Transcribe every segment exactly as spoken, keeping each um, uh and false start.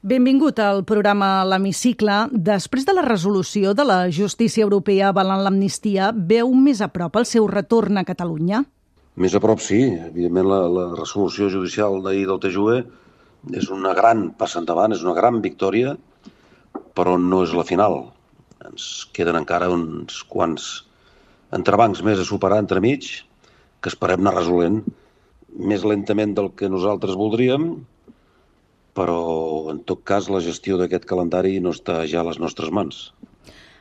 Benvingut al programa L'Hemicicle. Després de la resolució de la justícia europea avalant l'amnistia, veu més a prop el seu retorn a Catalunya? Més a prop, sí. Evidentment, la, la resolució judicial d'ahir del T J U E és una gran passa endavant, és una gran victòria, però no és la final. Ens queden encara uns quants entrebancs més a superar entremig, que esperem anar resolent més lentament del que nosaltres voldríem, però en tot cas la gestió d'aquest calendari no està ja a les nostres mans.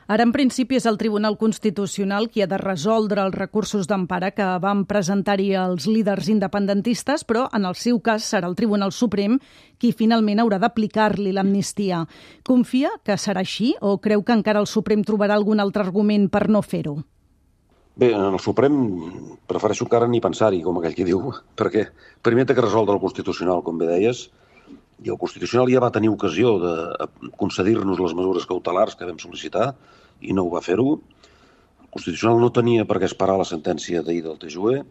Ara, en principi, és el Tribunal Constitucional qui ha de resoldre els recursos d'empara que van presentar-hi els líders independentistes, però en el seu cas serà el Tribunal Suprem qui finalment haurà d'aplicar-li l'amnistia. Confia que serà així o creu que encara el Suprem trobarà algun altre argument per no fer-ho? Bé, en el Suprem prefereixo encara ni pensar-hi, com aquell qui diu, perquè primer té que resoldre el Constitucional, com bé deies, i el Constitucional ja va tenir ocasió de concedir-nos les mesures cautelars que vam sol·licitar i no ho va fer-ho. El Constitucional no tenia per què esperar la sentència d'ahir del T J U E,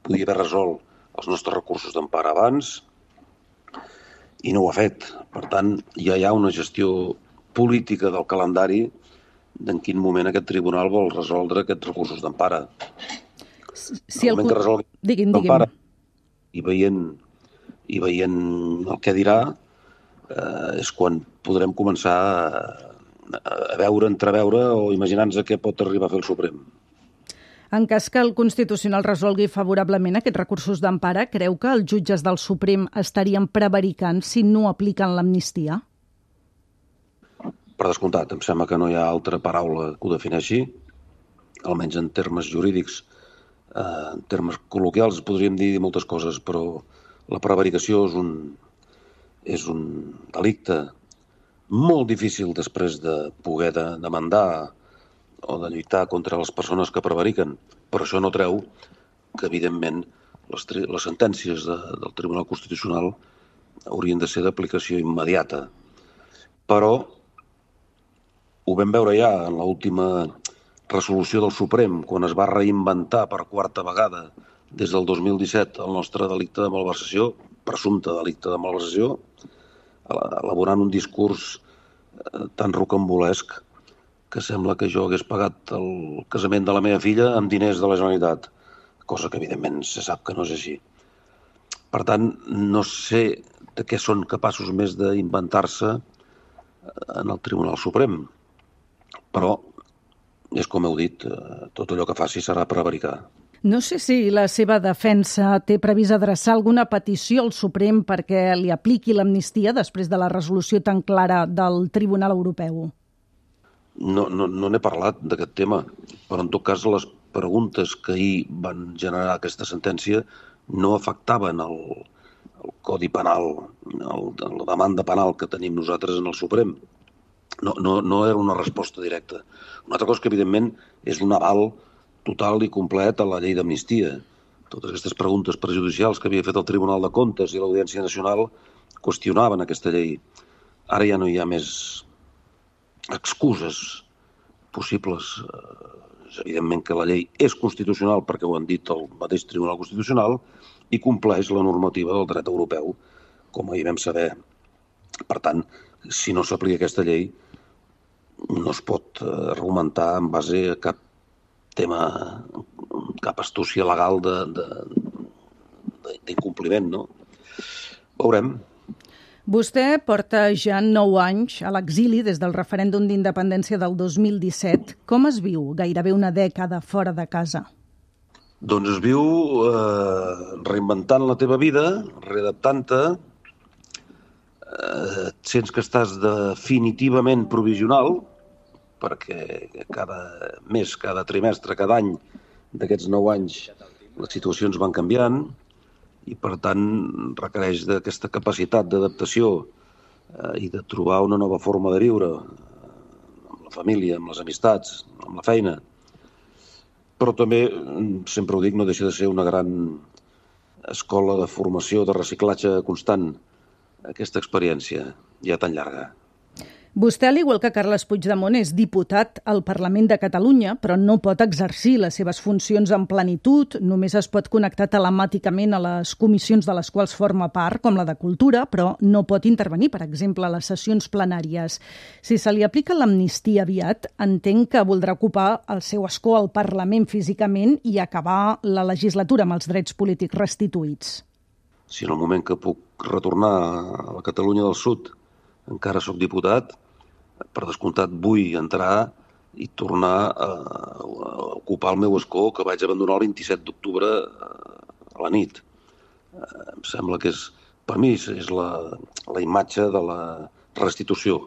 podia haver resolt els nostres recursos d'empara abans i no ho ha fet. Per tant, ja hi ha una gestió política del calendari d'en quin moment aquest tribunal vol resoldre aquests recursos d'empara. Si el moment que resolgui diguin, diguin. i veient i veient el que dirà, eh, és quan podrem començar a, a veure, entreveure o imaginar-nos què pot arribar a fer el Suprem. En cas que el Constitucional resolgui favorablement aquests recursos d'empara, creu que els jutges del Suprem estarien prevaricant si no apliquen l'amnistia? Per descomptat, em sembla que no hi ha altra paraula que ho defineixi, almenys en termes jurídics. Eh, en termes col·loquials podríem dir moltes coses, però la prevaricació és un, és un delicte molt difícil després de poder de, demandar o de lluitar contra les persones que prevariquen. Però això no treu que, evidentment, les, les sentències de, del Tribunal Constitucional haurien de ser d'aplicació immediata. Però ho vam veure ja en l'última resolució del Suprem, quan es va reinventar per quarta vegada des del dos mil disset el nostre delicte de malversació, presumpte delicte de malversació, elaborant un discurs tan rocambolesc que sembla que jo hagués pagat el casament de la meva filla amb diners de la Generalitat, cosa que evidentment se sap que no és així. Per tant, no sé de què són capaços més d'inventar-se en el Tribunal Suprem, però és com heu dit, tot allò que faci serà prevaricar. No sé si la seva defensa té previst adreçar alguna petició al Suprem perquè li apliqui l'amnistia després de la resolució tan clara del Tribunal Europeu. No, no, no n'he parlat d'aquest tema, però en tot cas les preguntes que ahir van generar aquesta sentència no afectaven el, el Codi Penal, el, la demanda penal que tenim nosaltres en el Suprem. No, no, no era una resposta directa. Una altra cosa que, evidentment, és un aval total i complet a la llei d'amnistia. Totes aquestes preguntes prejudicials que havia fet el Tribunal de Comptes i l'Audiència Nacional qüestionaven aquesta llei. Ara ja no hi ha més excuses possibles. És evidentment que la llei és constitucional perquè ho han dit el mateix Tribunal Constitucional i compleix la normativa del dret europeu, com ahir vam saber. Per tant, si no s'aplica aquesta llei, no es pot argumentar en base a cap tema, cap astúcia legal d'incompliment, no? Veurem. Vostè porta ja nou anys a l'exili des del referèndum d'independència del dos mil disset. Com es viu gairebé una dècada fora de casa? Doncs es viu eh, reinventant la teva vida, readaptant-te, eh, sents que estàs definitivament provisional, perquè cada mes, cada trimestre, cada any d'aquests nou anys les situacions van canviant i, per tant, requereix d'aquesta capacitat d'adaptació eh, i de trobar una nova forma de viure amb la família, amb les amistats, amb la feina. Però també, sempre ho dic, no deixa de ser una gran escola de formació, de reciclatge constant, aquesta experiència ja tan llarga. Vostè, al igual que Carles Puigdemont, és diputat al Parlament de Catalunya, però no pot exercir les seves funcions en plenitud, només es pot connectar telemàticament a les comissions de les quals forma part, com la de Cultura, però no pot intervenir, per exemple, a les sessions plenàries. Si se li aplica l'amnistia aviat, entenc que voldrà ocupar el seu escó al Parlament físicament i acabar la legislatura amb els drets polítics restituïts. Si en el moment que puc retornar a la Catalunya del Sud encara sóc diputat, per descomptat vull entrar i tornar a, a ocupar el meu escó que vaig abandonar el vint-i-set d'octubre a la nit. Em sembla que és, per mi és la, la imatge de la restitució,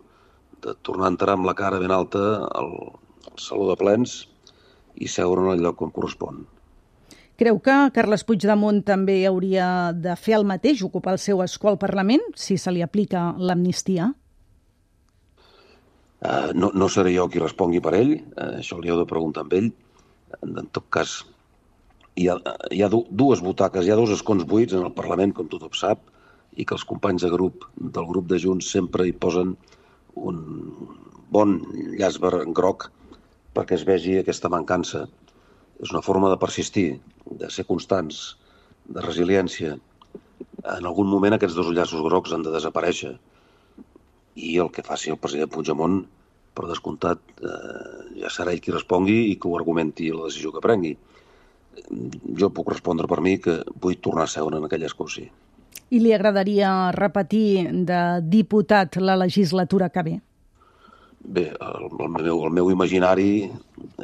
de tornar a entrar amb la cara ben alta al, al saló de plens i seure en el lloc com correspon. Creu que Carles Puigdemont també hauria de fer el mateix, ocupar el seu escó al Parlament, si se li aplica l'amnistia? Uh, no, no seré jo qui respongui per ell, uh, això li heu de preguntar amb ell. En, en tot cas, hi ha, hi ha dues butaques, hi ha dos escons buits en el Parlament, com tothom sap, i que els companys de grup del grup de Junts sempre hi posen un bon llaç groc perquè es vegi aquesta mancança. És una forma de persistir, de ser constants, de resiliència. En algun moment aquests dos llaços grocs han de desaparèixer. I el que faci el president Puigdemont, per descomptat, eh, ja serà ell qui respongui i que ho argumenti la decisió que prengui. Jo puc respondre per mi que vull tornar a seure en aquell escó, sí. I li agradaria repetir de diputat la legislatura que ve? Bé, el, el, meu, el meu imaginari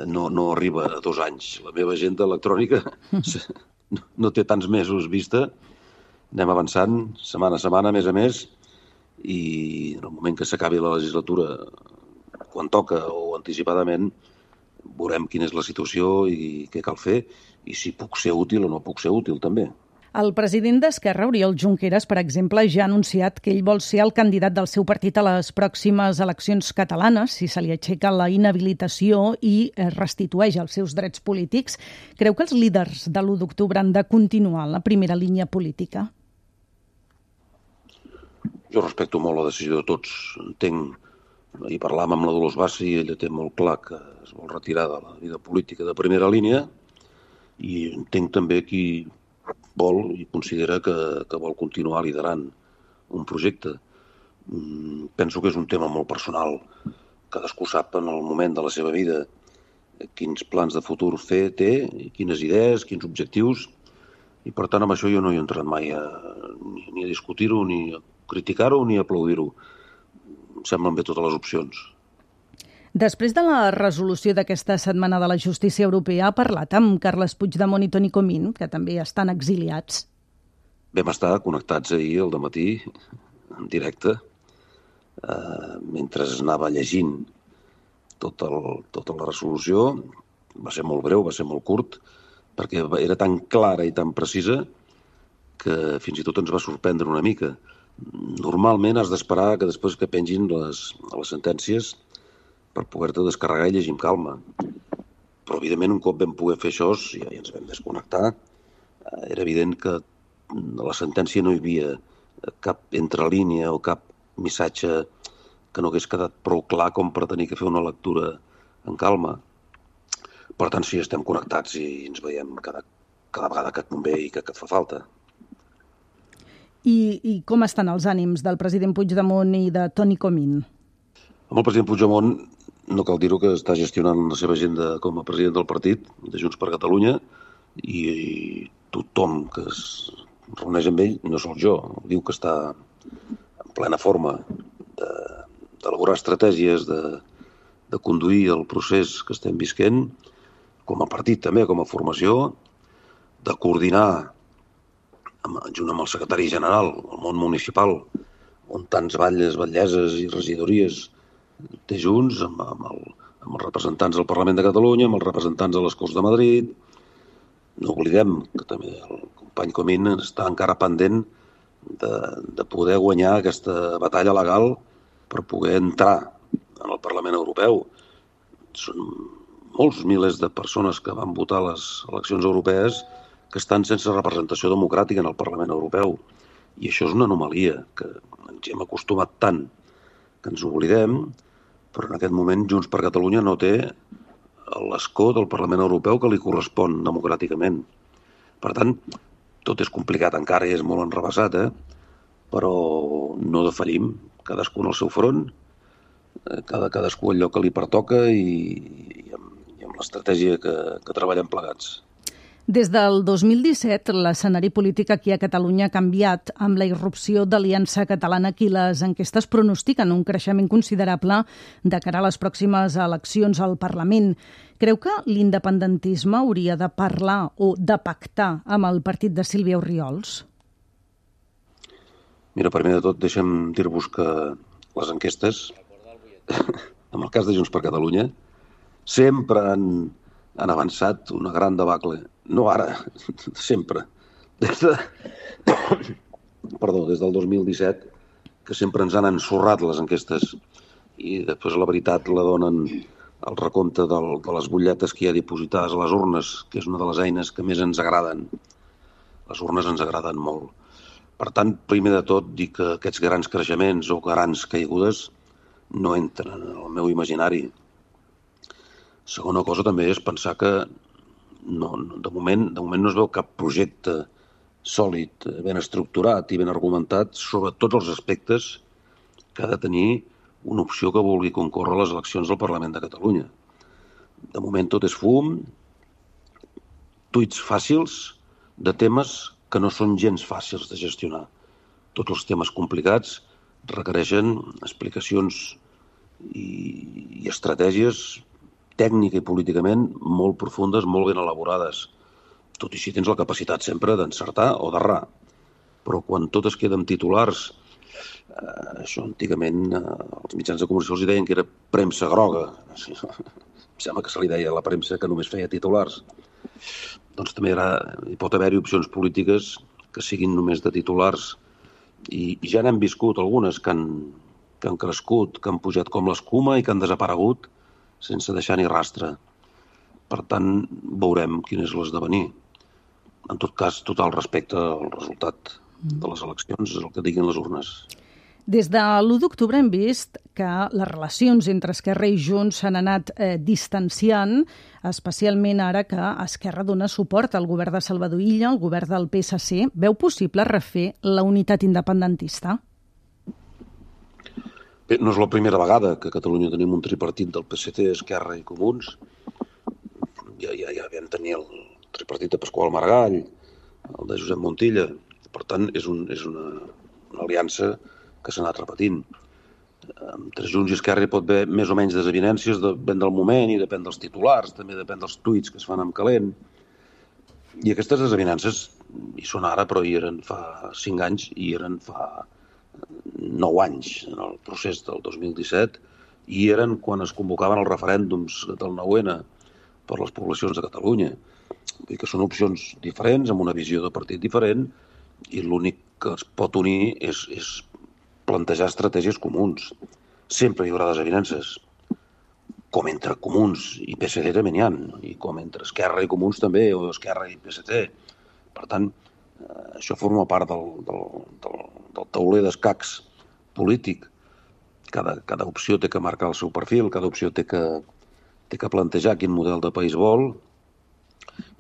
no, no arriba a dos anys. La meva agenda electrònica no, no té tants mesos vista. Anem avançant, setmana a setmana, a més a més, i en el moment que s'acabi la legislatura, quan toca o anticipadament, veurem quina és la situació i què cal fer, i si puc ser útil o no puc ser útil, també. El president d'Esquerra, Oriol Junqueras, per exemple, ja ha anunciat que ell vol ser el candidat del seu partit a les pròximes eleccions catalanes, si se li aixeca la inhabilitació i restitueix els seus drets polítics. Creu que els líders de l'u d'octubre han de continuar la primera línia política? Jo respecto molt la decisió de tots. Entenc, ahir parlàvem amb la Dolors Bassa i ella té molt clar que es vol retirar de la vida política de primera línia, i entenc també qui vol i considera que, que vol continuar liderant un projecte. Penso que és un tema molt personal. Cadascú sap en el moment de la seva vida quins plans de futur fer té, quines idees, quins objectius, i per tant amb això jo no hi he entrat mai a, ni, ni a discutir-ho, ni a criticar-ho, ni a aplaudir-ho. Em semblen bé totes les opcions. Després de la resolució d'aquesta setmana de la justícia europea, ha parlat amb Carles Puigdemont i Toni Comín, que també estan exiliats. Vam estar connectats ahir al dematí, en directe, eh, mentre anava llegint tot el, tota la resolució. Va ser molt breu, va ser molt curt, perquè era tan clara i tan precisa que fins i tot ens va sorprendre una mica. Normalment has d'esperar que després que pengin les, les sentències per poder-te descarregar i llegir amb calma. Però, evidentment, un cop vam poder fer això, ja, ja ens vam desconnectar, era evident que a la sentència no hi havia cap entrelínia o cap missatge que no hagués quedat prou clar com per tenir que fer una lectura en calma. Per tant, sí, estem connectats i ens veiem cada, cada vegada que et convé i que, que et fa falta. I, I com estan els ànims del president Puigdemont i de Toni Comín? Amb el president Puigdemont no cal dir-ho que està gestionant la seva agenda com a president del partit de Junts per Catalunya, i, i tothom que es reuneix amb ell, no sols jo, diu que està en plena forma d'elaborar estratègies, de, de conduir el procés que estem visquent, com a partit també, com a formació, de coordinar junt amb el secretari general, el món municipal, on tants batlles, batlleses i regidories té junts, amb, amb, el, amb els representants del Parlament de Catalunya, amb els representants de les Corts de Madrid. No oblidem que també el company Comín està encara pendent de, de poder guanyar aquesta batalla legal per poder entrar en el Parlament Europeu. Són molts milers de persones que van votar a les eleccions europees que estan sense representació democràtica en el Parlament Europeu. I això és una anomalia, que ens hi hem acostumat tant que ens oblidem, però en aquest moment Junts per Catalunya no té l'escó del Parlament Europeu que li correspon democràticament. Per tant, tot és complicat encara i és molt enrevessat, eh? Però no defallim, cadascú en el seu front, cada, cadascú al lloc que li pertoca i, i, amb, i amb l'estratègia que, que treballem plegats. Des del dos mil disset, l'escenari polític aquí a Catalunya ha canviat amb la irrupció d'Aliança Catalana, qui les enquestes pronostiquen un creixement considerable de cara a les pròximes eleccions al Parlament. Creu que l'independentisme hauria de parlar o de pactar amb el partit de Sílvia Orriols? Mira, primer de tot, deixa'm dir-vos que les enquestes, en el cas de Junts per Catalunya, sempre han, han avançat una gran debacle. No ara, sempre. Des de... Perdó, des del dos mil disset, que sempre ens han ensorrat les enquestes i després la veritat la donen el recompte del, de les butlletes que hi ha dipositades a les urnes, que és una de les eines que més ens agraden. Les urnes ens agraden molt. Per tant, primer de tot, dir que aquests grans creixements o grans caigudes no entren en el meu imaginari. Segona cosa també és pensar que no, no, de, moment, de moment no es veu cap projecte sòlid, ben estructurat i ben argumentat sobre tots els aspectes que ha de tenir una opció que vulgui concórrer a les eleccions del Parlament de Catalunya. De moment tot és fum, tuits fàcils de temes que no són gens fàcils de gestionar. Tots els temes complicats requereixen explicacions i, i estratègies tècnica i políticament molt profundes, molt ben elaborades. Tot i així tens la capacitat sempre d'encertar o d'errar. Però quan tot es queda amb titulars, eh, això antigament eh, els mitjans de comunicació els deien que era premsa groga. Em sembla que se li deia a la premsa que només feia titulars. Doncs també era, hi pot haver-hi opcions polítiques que siguin només de titulars i, i ja n'hem viscut algunes que han, que han crescut, que han pujat com l'escuma i que han desaparegut sense deixar ni rastre. Per tant, veurem quin és l'esdevenir. En tot cas, total respecte al resultat de les eleccions, és el que diguin les urnes. Des de l'u d'octubre hem vist que les relacions entre Esquerra i Junts s'han anat eh, distanciant, especialment ara que Esquerra dona suport al govern de Salvador Illa, al govern del P S C. Veu possible refer la unitat independentista? Bé, no és la primera vegada que a Catalunya tenim un tripartit del P S C, Esquerra i Comuns. Ja, ja, ja vam tenir el tripartit de Pasqual Maragall, el de Josep Montilla. Per tant, és, un, és una, una aliança que s'ha anat repetint. Entre Junts i Esquerra hi pot haver més o menys desavinències, depèn del moment i depèn dels titulars, també depèn dels tuits que es fan amb calent. I aquestes desavinències hi són ara, però hi eren fa cinc anys i hi eren fa nou anys en el procés del dos mil disset i eren quan es convocaven els referèndums del nou ene per les poblacions de Catalunya. Vull dir que són opcions diferents, amb una visió de partit diferent i l'únic que es pot unir és, és plantejar estratègies comuns. Sempre hi haurà desavinences, com entre Comuns i P S C també n'hi ha, i com entre Esquerra i Comuns també, o Esquerra i P S C. Per tant, això forma part del, del, del, del tauler d'escacs polític. Cada, cada opció té que marcar el seu perfil, cada opció té que, té que plantejar quin model de país vol,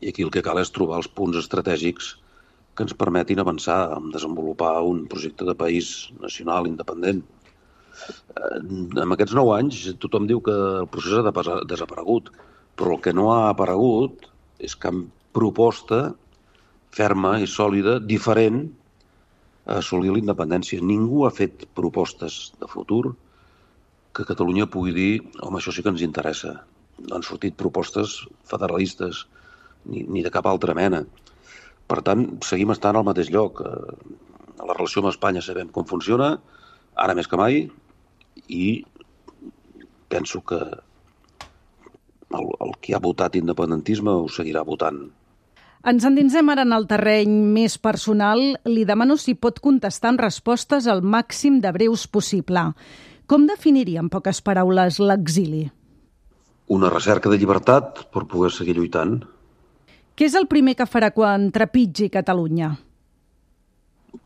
i aquí el que cal és trobar els punts estratègics que ens permetin avançar en desenvolupar un projecte de país nacional independent. En aquests nou anys tothom diu que el procés ha desaparegut, però el que no ha aparegut és cap proposta ferma i sòlida, diferent a assolir la independència. Ningú ha fet propostes de futur que Catalunya pugui dir home, això sí que ens interessa. No han sortit propostes federalistes ni, ni de cap altra mena. Per tant, seguim estant al mateix lloc. La relació amb Espanya sabem com funciona, ara més que mai, i penso que el, el qui ha votat independentisme ho seguirà votant. Ens endinsem ara en el terreny més personal. Li demano si pot contestar amb respostes el màxim de breus possible. Com definiria en poques paraules l'exili? Una recerca de llibertat per poder seguir lluitant. Què és el primer que farà quan trepitgi Catalunya?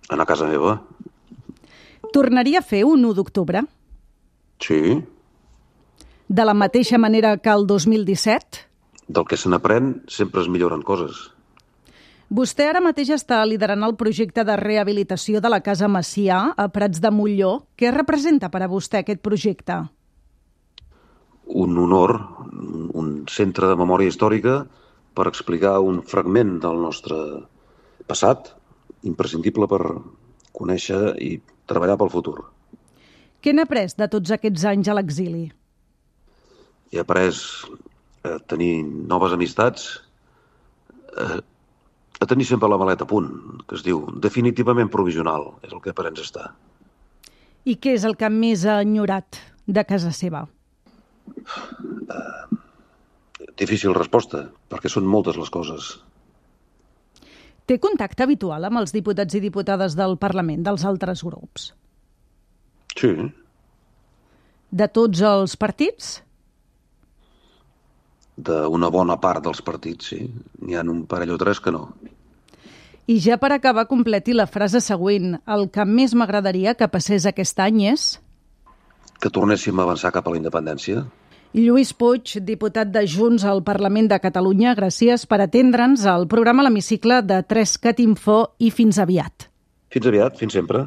Anar a casa meva. Tornaria a fer un u d'octubre? Sí. De la mateixa manera que el dos mil disset? Del que se n'aprèn sempre es milloren coses. Vostè ara mateix està liderant el projecte de rehabilitació de la Casa Macià a Prats de Molló. Què representa per a vostè aquest projecte? Un honor, un centre de memòria històrica per explicar un fragment del nostre passat, imprescindible per conèixer i treballar pel futur. Què n'ha après de tots aquests anys a l'exili? He après a tenir noves amistats, a, a tenir sempre la maleta a punt, que es diu definitivament provisional, és el que aparents estar. I què és el que més ha enyorat de casa seva? Uh, difícil resposta, perquè són moltes les coses. Té contacte habitual amb els diputats i diputades del Parlament, dels altres grups? Sí. De tots els partits? D'una bona part dels partits, sí. N'hi ha un parell o tres que no. I ja per acabar, completi la frase següent. El que més m'agradaria que passés aquest any és... Que tornéssim a avançar cap a la independència. Lluís Puig, diputat de Junts al Parlament de Catalunya, gràcies per atendre'ns al programa L'Hemicicle de tres cat info i fins aviat. Fins aviat, fins sempre.